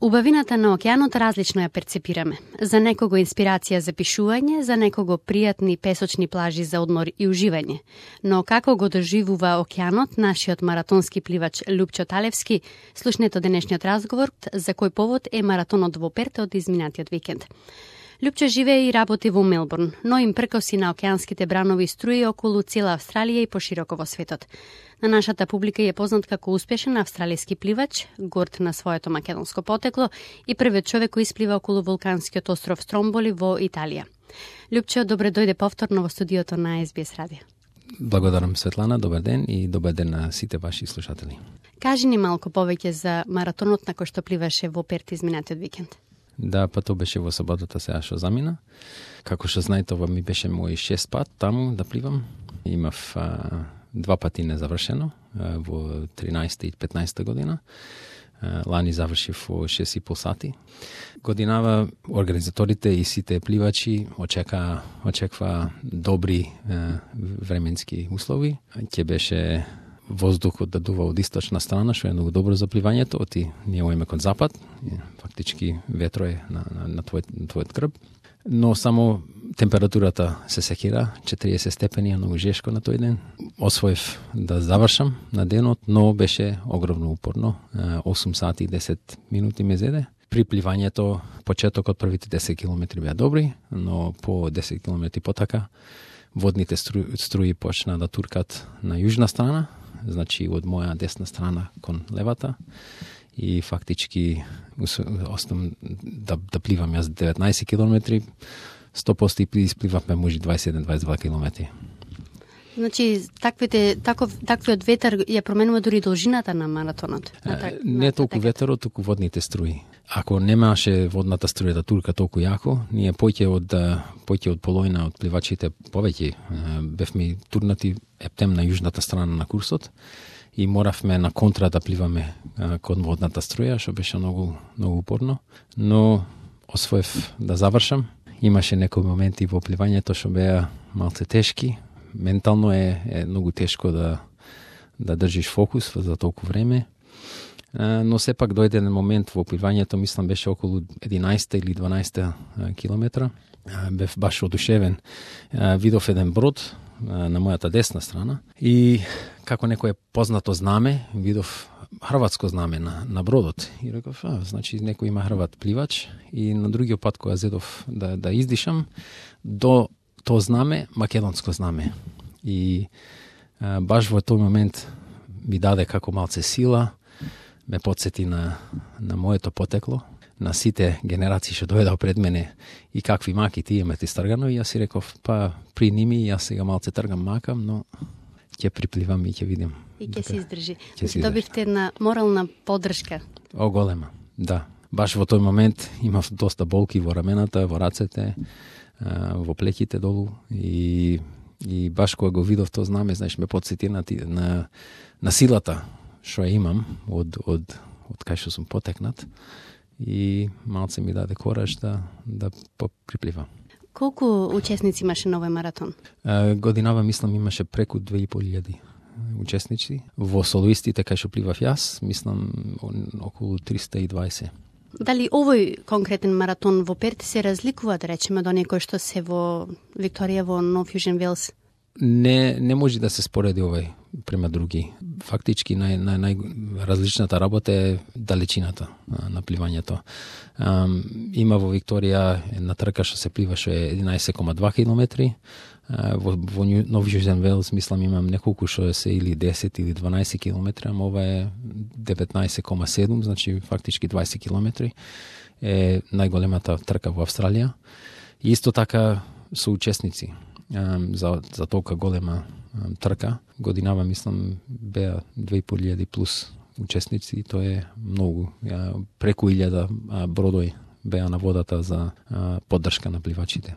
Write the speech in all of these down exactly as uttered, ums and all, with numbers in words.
Убавината на океанот различно ја перцепираме. За некого инспирација за пишување, за некого пријатни песочни плажи за одмор и уживање. Но како го доживува океанот нашиот маратонски пливач Лјупчо Талевски, слушнете денешниот разговор за кој повод е маратонот во Перт од изминатиот викенд. Лјупчо живее и работи во Мелбурн, но им пркоси на океанските бранови струи околу цела Австралија и пошироко во светот. На нашата публика е познат како успешен австралиски пливач, горд на своето македонско потекло и првиот човек кој исплива околу вулканскиот остров Стромболи во Италија. Лјупчо, добре дојде повторно во студиото на Ес Би Ес Радио. Благодарам, Светлана, добар ден и добар ден на сите ваши слушатели. Кажи ни малку повеќе за маратонот на кој што пливаше во Перт изминатиот викенд. Да, па тоа беше во саботата сега што замина. Како што знаете, ова ми беше мој шест пат таму да пливам. Имав а, два пати незавршено а, во тринаесетта и петнаесетта година. А, лани завршив во шест и пол сати. Годинава организаторите и сите пливачи очека очеква добри а, временски услови. Ќе беше воздухот да дува од источна страна, што е многу добро за пливањето, оти ние оеме кон запад, фактички ветро е на, на, на твојот, твојот грб, но само температурата се секира, четириесет степени, е многу жешко на тој ден. Освоив да завршам на денот, но беше огромно упорно, осум сати и десет минути ме зеде. При пливањето, почетокот првите десет километри беа добри, но по десет километри потака, водните струи, струи почна да туркат на јужна страна, значи од моја десна страна кон левата, и фактички остам да, да пливам јас деветнаесет километри, сто проценти испливавме може дваесет и еден до дваесет и два километри. Значи, таквите, таков, таквиот ветер ја променува дури должината на маратонот? На так, не толку ветерот, туку водните струи. Ако немаше водната струја да турка толку јако, ние поќе од поќе од половина од пливачите повеќе бевме турнати ептем на јужната страна на курсот и моравме на контра да пливаме кон водната струја, што беше многу многу упорно, но освоев да завршам. Имаше некои моменти во пливањето што беа малце тешки. Ментално е, е многу тешко да да држиш фокус за толку време. Но сепак дојде на момент во пливањето, мислам беше околу единаесет или дванаесет километра. Бев баш одушевен. Видов еден брод на мојата десна страна и како некое познато знаме, видов хрватско знаме на, на бродот. И реков, а, значи некој има хрват пливач. И на другиот пат кога зедов да, да издишам, до тоа знаме, македонско знаме. И а, баш во тој момент ми даде како малце сила, ме подсети на, на моето потекло, на сите генерации што дојдоа пред мене и какви маки тие ме ти стргано, и јас си реков, па при ними јас сега малце тргам макам, но ќе припливам и ќе видим. И ќе се издржи. Значи, добивте една морална поддршка. О, голема, да. Баш во тој момент имав доста болки во рамената, во рацете, во плеките долу, и, и баш кога го видов тоа знаме, знаеш, ме подсети на, на, на силата што ја имам од, од, од кај што сум потекнат, и малце ми даде кораж да, да припливам. Колку учесници имаше на овој маратон? А, годинава, мислам, имаше преку две и пол илјади учесници. Во солоистите кај што пливав јас, мислам, околу триста и дваесет. Дали овој конкретен маратон во Перт се разликува, да речеме, до некој што се во Викторија, во Нов Јужен Велс? Не, не може да се спореди овој према други. Фактички нај, нај, најразличната работа е далечината на пливањето. Um, има во Викторија една трка што се плива што е единаесет и два километри. Uh, во, во Нов Јужен Велс, мислам, имам неколку што се или десет или дванаесет километри, ама ова е деветнаесет и седум, значи фактички дваесет километри. Е најголемата трка во Австралија. И исто така со учесници. Um, за, за толка голема um, трка. Годинава, мислам, беа две и пол илјади плюс учесници, и тоа е многу. Uh, преку илјада uh, бродои беа на водата за uh, поддршка на пливачите.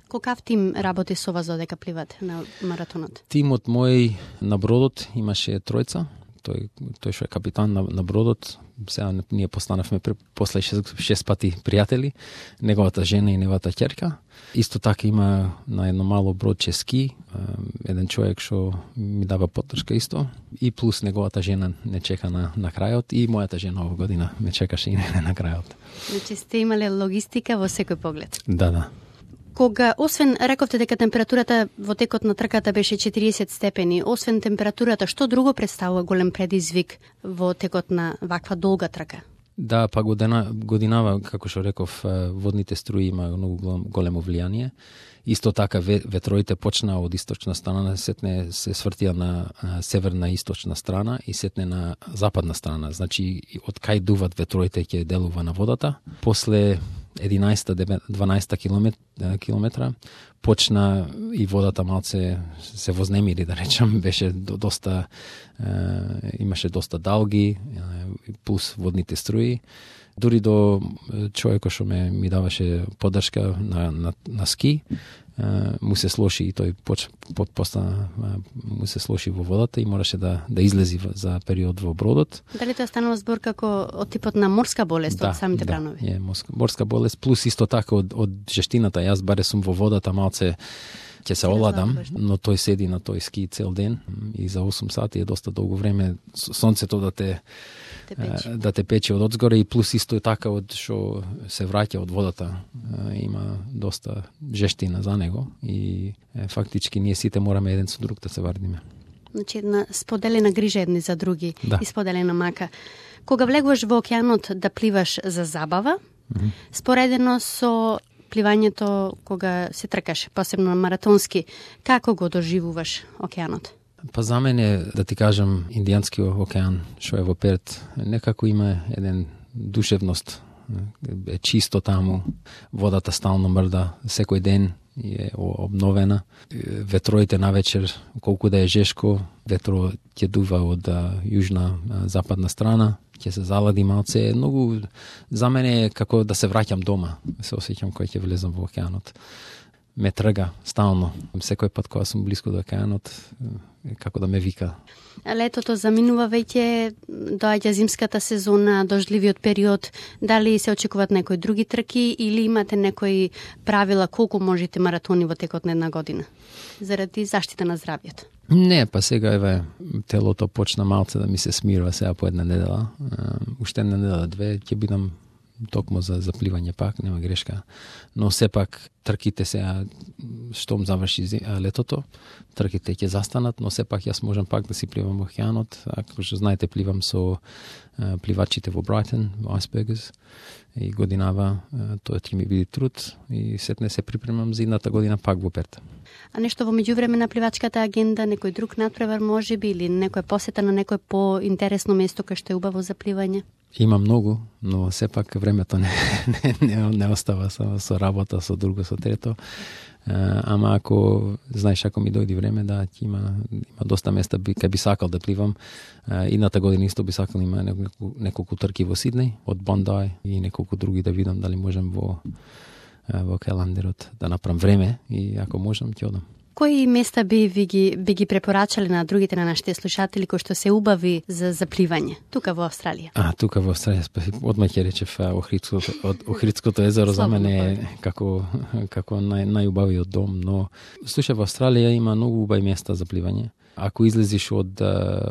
Колкав тим работи со вас за дека пливате на маратонот? Тимот мој на бродот имаше тројца. тој тој што е капитан на, на бродот. Сега ние постанавме после шест, шест пати пријатели, неговата жена и неговата ќерка. Исто така има на едно мало бродче ски, еден човек што ми дава поддршка исто, и плюс неговата жена не чека на, на крајот, и мојата жена оваа година ме чекаше и не на крајот. Значи сте имале логистика во секој поглед. Да, да. Кога, освен, рековте дека температурата во текот на трката беше четириесет степени, освен температурата, што друго представува голем предизвик во текот на ваква долга трка? Да, па година, годинава, како што реков, водните струи има многу големо влијание. Исто така ветроите почна од источна страна, сетне се свртија на северна и источна страна и сетне на западна страна. Значи, од кај дуват ветроите ќе делува на водата. После единаесет-дванаесет километра почна и водата малце се вознемири, да речам, беше доста е, имаше доста далги, е, плюс водните струи. Дури до човекот што ме ми даваше поддршка на, на, на ски, е, му се слоши и тој поч, под постана му се слоши во водата и мораше да да излези за период во бродот. Дали тоа станува збор како од типот на морска болест да, од самите да, бранови? Да, е морска, морска болест, плюс исто така од од жештината. Јас баре сум во водата малце ќе се оладам, но тој седи на тој ски цел ден и за осум сати е доста долго време сонцето да те Те печи. да те пече од одзгоре и плюс исто така од што се враќа од водата, има доста жештина за него и е, фактички ние сите мораме еден со друг да се вардиме. Значи една споделена грижа едни за други да. И споделена мака. Кога влегуваш во океанот да пливаш за забава, mm-hmm. споредено со пливањето кога се тркаш, посебно маратонски, како го доживуваш океанот? Па за мене, да ти кажам, Индијански океан, што е во Перт, некако има еден душевност, е чисто таму, водата стално мрда, секој ден е обновена. Ветроите навечер, колку да е жешко, ветро ќе дува од јужна, западна страна, ќе се залади малце. Многу, за мене е како да се враќам дома, се осеќам кога ќе влезам во океанот. Ме трга стално. Секој пат кога сум близко до океанот, како да ме вика. Летото заминува веќе, доаѓа зимската сезона, дождливиот период. Дали се очекуваат некои други трки или имате некои правила колку можете маратони во текот на една година? Заради заштита на здравјето. Не, па сега еве телото почна малце да ми се смирува сега по една недела. Уште една недела две ќе бидам токму за запливање пак, нема грешка. Но сепак трките сега штом заврши летото, трките ќе застанат, но сепак јас можам пак да си пливам во океанот. Ако што знаете, пливам со а, пливачите во Брайтон, во Icebergers, и годинава тоа ќе ми биде труд и сетне се припремам за едната година пак во Перт. А нешто во меѓувреме на пливачката агенда, некој друг надпревар може би или некоја посета на некој поинтересно место кај што е убаво за пливање? Има многу, но сепак времето не, не, не, не остава со, со работа, со друго, со трето. Ама ако, знаеш, ако ми дојди време, да, има, има доста места би, кај би сакал да пливам. Идната година исто би сакал, има неколку, неколку трки во Сиднеј, од Бондај и неколку други да видам дали можем во, во календарот да направам време и ако можам, ќе одам. Кои места би ви ги, би ги препорачале на другите на нашите слушатели кои што се убави за запливање тука во Австралија? А, тука во Австралија, одма ќе речев Охридското, од Охридското езеро за мене е како, како нај, најубавиот дом, но слушај, во Австралија има многу убави места за пливање. Ако излезиш од,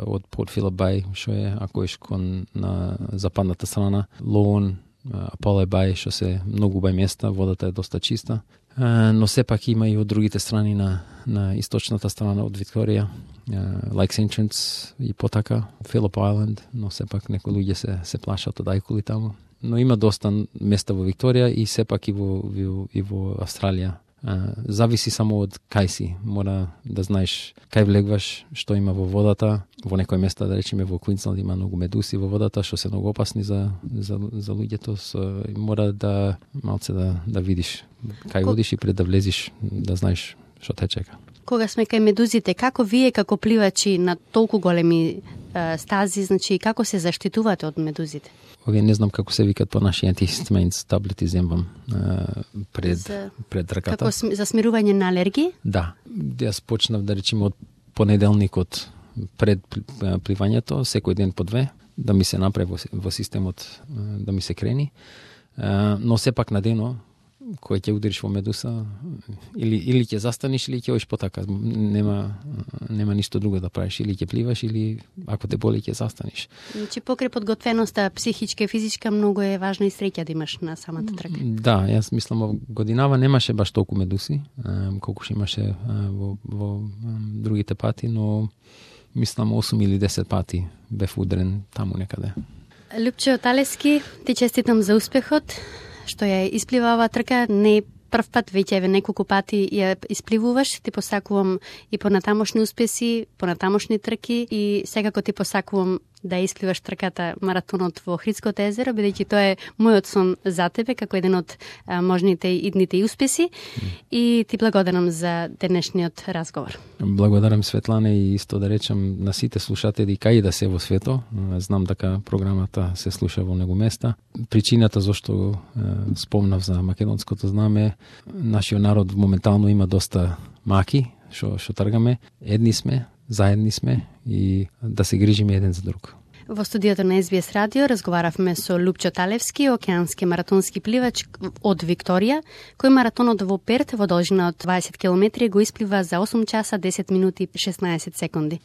од Порт Филип Бај, што е, ако еш кон на западната страна, Лоун, Аполе Бај, што се многу убави места, водата е доста чиста. Uh, но сепак има и од другите страни на, на источната страна од Викторија, uh, Lakes Entrance и потака, Phillip Island, но сепак некои луѓе се, се плашат од ајкули таму. Но има доста места во Викторија и сепак и во, и во Австралија. Uh, зависи само од кај си. Мора да знаеш кај влегваш, што има во водата. Во некои места, да речеме во Квинсленд, има многу медуси во водата, што се многу опасни за, за, за луѓето. So, мора да малце да, да видиш кај одиш и пред да влезиш, да знаеш што те чека. Кога сме кај медузите, како вие како пливачи на толку големи е, стази, значи како се заштитувате од медузите? Овие не знам како се викат по наши антихистаминс таблети земвам е, пред за, пред раката. Како за смирување на алергии? Да. Јас почнав да речеме од понеделникот пред пливањето, секој ден по две, да ми се направи во, во системот, да ми се крени. Но сепак на дено, кој ќе удариш во медуса, или, или ќе застанеш, или ќе одиш потака. Нема, нема ништо друго да правиш. Или ќе пливаш, или ако те боли, ќе застанеш. Значи, покрај подготвеноста, психичка и физичка, многу е важно и среќа да имаш на самата трка. Да, јас мислам, во годинава немаше баш толку медуси, колку што имаше во, во другите пати, но мислам осум или десет пати бев удрен таму некаде. Лупчо Талевски, ти честитам за успехот, што ја исплива оваа трка, не прв пат, веќе еве неколку пати ја испливуваш, ти посакувам и понатамошни успеси, понатамошни трки и секако ти посакувам да испливаш трката маратонот во Охридското езеро, бидејќи тоа е мојот сон за тебе, како еден од а, можните идните и успеси. Mm. И ти благодарам за денешниот разговор. Благодарам, Светлана, и исто да речам на сите слушатели кај да се во свето. Знам дека програмата се слуша во многу места. Причината зашто е, спомнав за македонското знаме, нашиот народ моментално има доста маки, што што тргаме. Едни сме, заедни сме и да се грижиме еден за друг. Во студиото на Ес Би Ес Радио разговаравме со Лупчо Талевски, океански маратонски пливач од Викторија, кој маратонот во Перт во должина од дваесет километри го исплива за осум часа десет минути и шеснаесет секунди.